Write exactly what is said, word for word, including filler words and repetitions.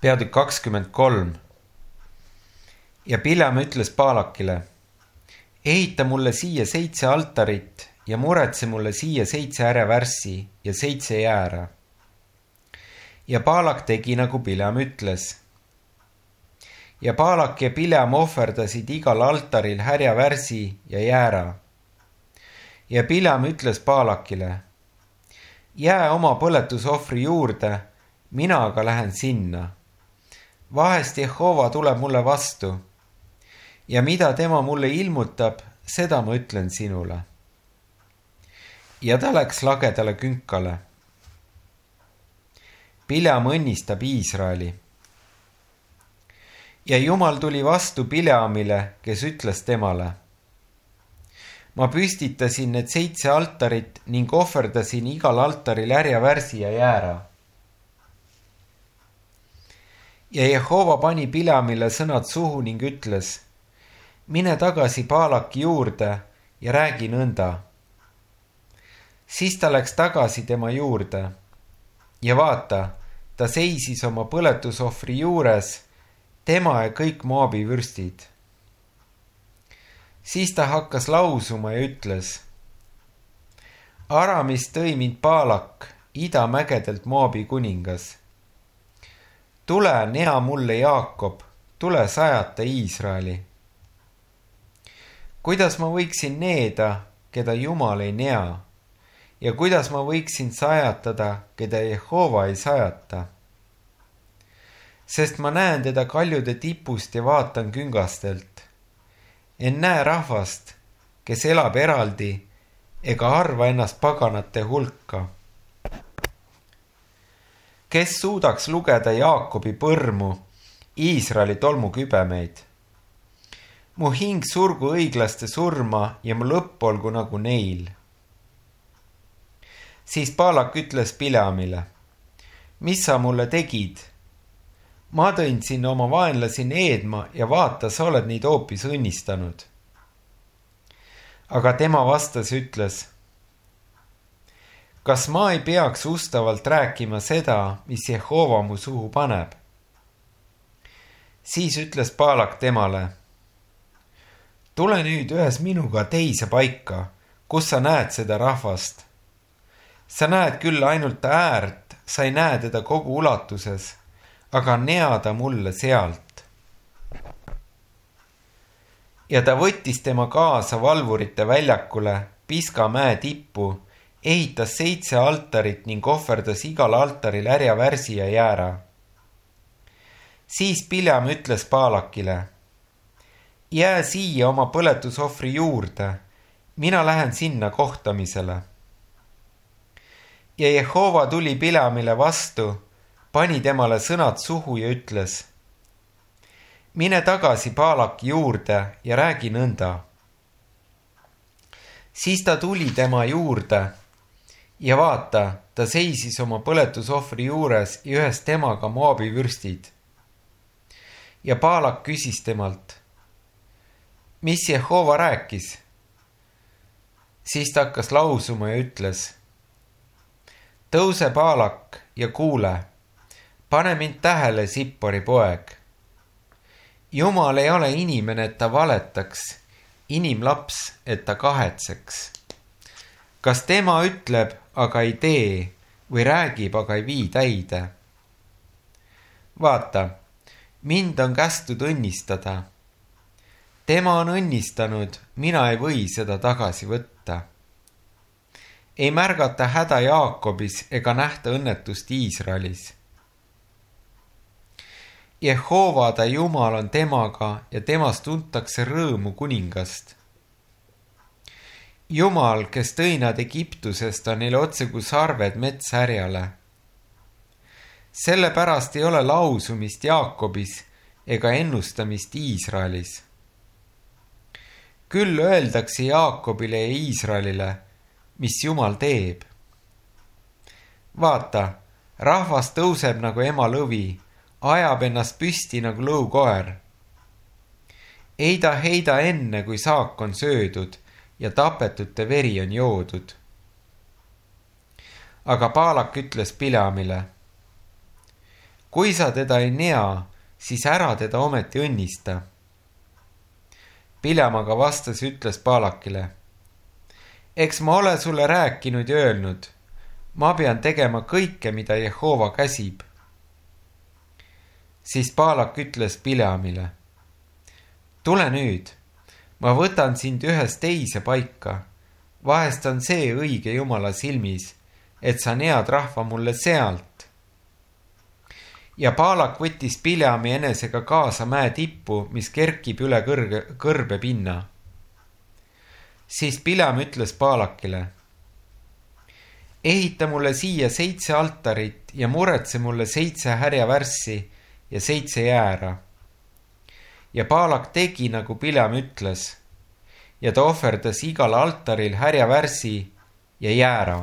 peatükk kakskümmend kolm. Ja Bileam ütles Baalakile, ehita mulle siia seitse altarit ja muretse mulle siia seitse ärevärssi ja seitse jäära. Ja Baalak tegi, nagu Bileam ütles. Ja Baalak ja Bileam ohverdasid igal altaril härjavärsi ja jäära. Ja Bileam ütles Baalakile, jää oma põletusohvri juurde, mina aga lähen sinna. Vahest Jehova tuleb mulle vastu ja mida tema mulle ilmutab, seda ma ütlen sinule. Ja ta läks lagedale künkale. Bileam õnnistab Iisraeli. Ja Jumal tuli vastu Bileamile, kes ütles temale, ma püstitasin need seitse altarit ning ohverdasin igal altaril härjavärsi ja jäära. Ja Jehova pani Bileamile sõnad suhu ning ütles, mine tagasi Baalaki juurde ja räägi nõnda. Siis ta läks tagasi tema juurde ja vaata, ta seisis oma põletusohvri juures, tema ja kõik Moabi vürstid. Siis ta hakkas lausuma ja ütles, Aramis tõi mind Baalak, idamägedelt Moabi kuningas. Tule, nea mulle Jaakob, tule sajata Iisraeli. Kuidas ma võiksin needa, keda Jumal ei nea, ja kuidas ma võiksin sajatada, keda Jehova ei sajata? Sest ma näen teda kaljude tipust ja vaatan küngastelt. En näe rahvast, kes elab eraldi, ega arva ennast paganate hulka. Kes suudaks lugeda Jaakobi põrmu, Iisraeli tolmukübemeid? Mu hing surgu õiglaste surma ja mu lõpp olgu nagu neil. Siis Baalak ütles Bileamile, mis sa mulle tegid? Ma tõin sinna oma vaenlasi needma ja vaata, sa oled neid hoopis õnnistanud. Aga tema vastas ütles, kas ma ei peaks ustavalt rääkima seda, mis Jehova mu suhu paneb? Siis ütles Baalak temale, tule nüüd ühes minuga teise paika, kus sa näed seda rahvast. Sa näed küll ainult äärt, sa ei näe teda kogu ulatuses, aga nea ta mulle sealt. Ja ta võttis tema kaasa valvurite väljakule, Piska mäe tippu, ehitas seitse altarit ning ohverdas igal altaril härjavärsi ja jäära. Siis Bileam ütles Baalakile, jää siia oma põletusohvri juurde, mina lähen sinna kohtamisele. Ja Jehova tuli Bileamile vastu, pani temale sõnad suhu ja ütles, mine tagasi Baalaki juurde ja räägi nõnda. Siis ta tuli tema juurde ja vaata, ta seisis oma põletusohvri juures ja ühes temaga Moabi vürstid. Ja Baalak küsis temalt, mis Jehova rääkis? Siis ta hakkas lausuma ja ütles, tõuse Baalak ja kuule, pane mind tähele, Sippori poeg. Jumal ei ole inimene, et ta valetaks, inimlaps, et ta kahetseks. Kas tema ütleb, aga ei tee, või räägib, aga ei vii täide? Vaata, mind on kästud õnnistada. Tema on õnnistanud, mina ei või seda tagasi võtta. Ei märgata häda Jaakobis ega nähta õnnetust Iisraelis. Jehova ta Jumal on temaga ja temast tuntakse rõõmu kuningast. Jumal, kes tõi nad Egiptusest, on neile otse kui sarved metshärjale. Sellepärast ei ole lausumist Jaakobis ega ennustamist Iisraelis. Küll öeldakse Jaakobile ja Iisraelile, mis Jumal teeb. Vaata, rahvas tõuseb nagu ema lõvi, ajab ennast püsti nagu lõukoer. Ei ta heida enne, kui saak on söödud ja tapetute veri on joodud. Aga Baalak ütles Bileamile, kui sa teda ei nea, siis ära teda ometi õnnista. Bileam aga vastas ja ütles Baalakile: eks ma ole sulle rääkinud ja öelnud, ma pean tegema kõike, mida Jehova käsib. Siis Baalak ütles Bileamile: tule nüüd, ma võtan sind ühest teise paika, vahest on see õige Jumala silmis, et sa nead rahva mulle sealt. Ja Baalak võttis Bileami enesega kaasa mäe tippu, mis kerkib üle kõrge, kõrbe pinna. Siis Bileam ütles Baalakile: ehita mulle siia seitse altarit ja muretse mulle seitse härjavärssi ja seitse jäära. Ja Baalak tegi, nagu Bileam ütles, ja ta ohverdas igal altaril härjavärssi ja jäära.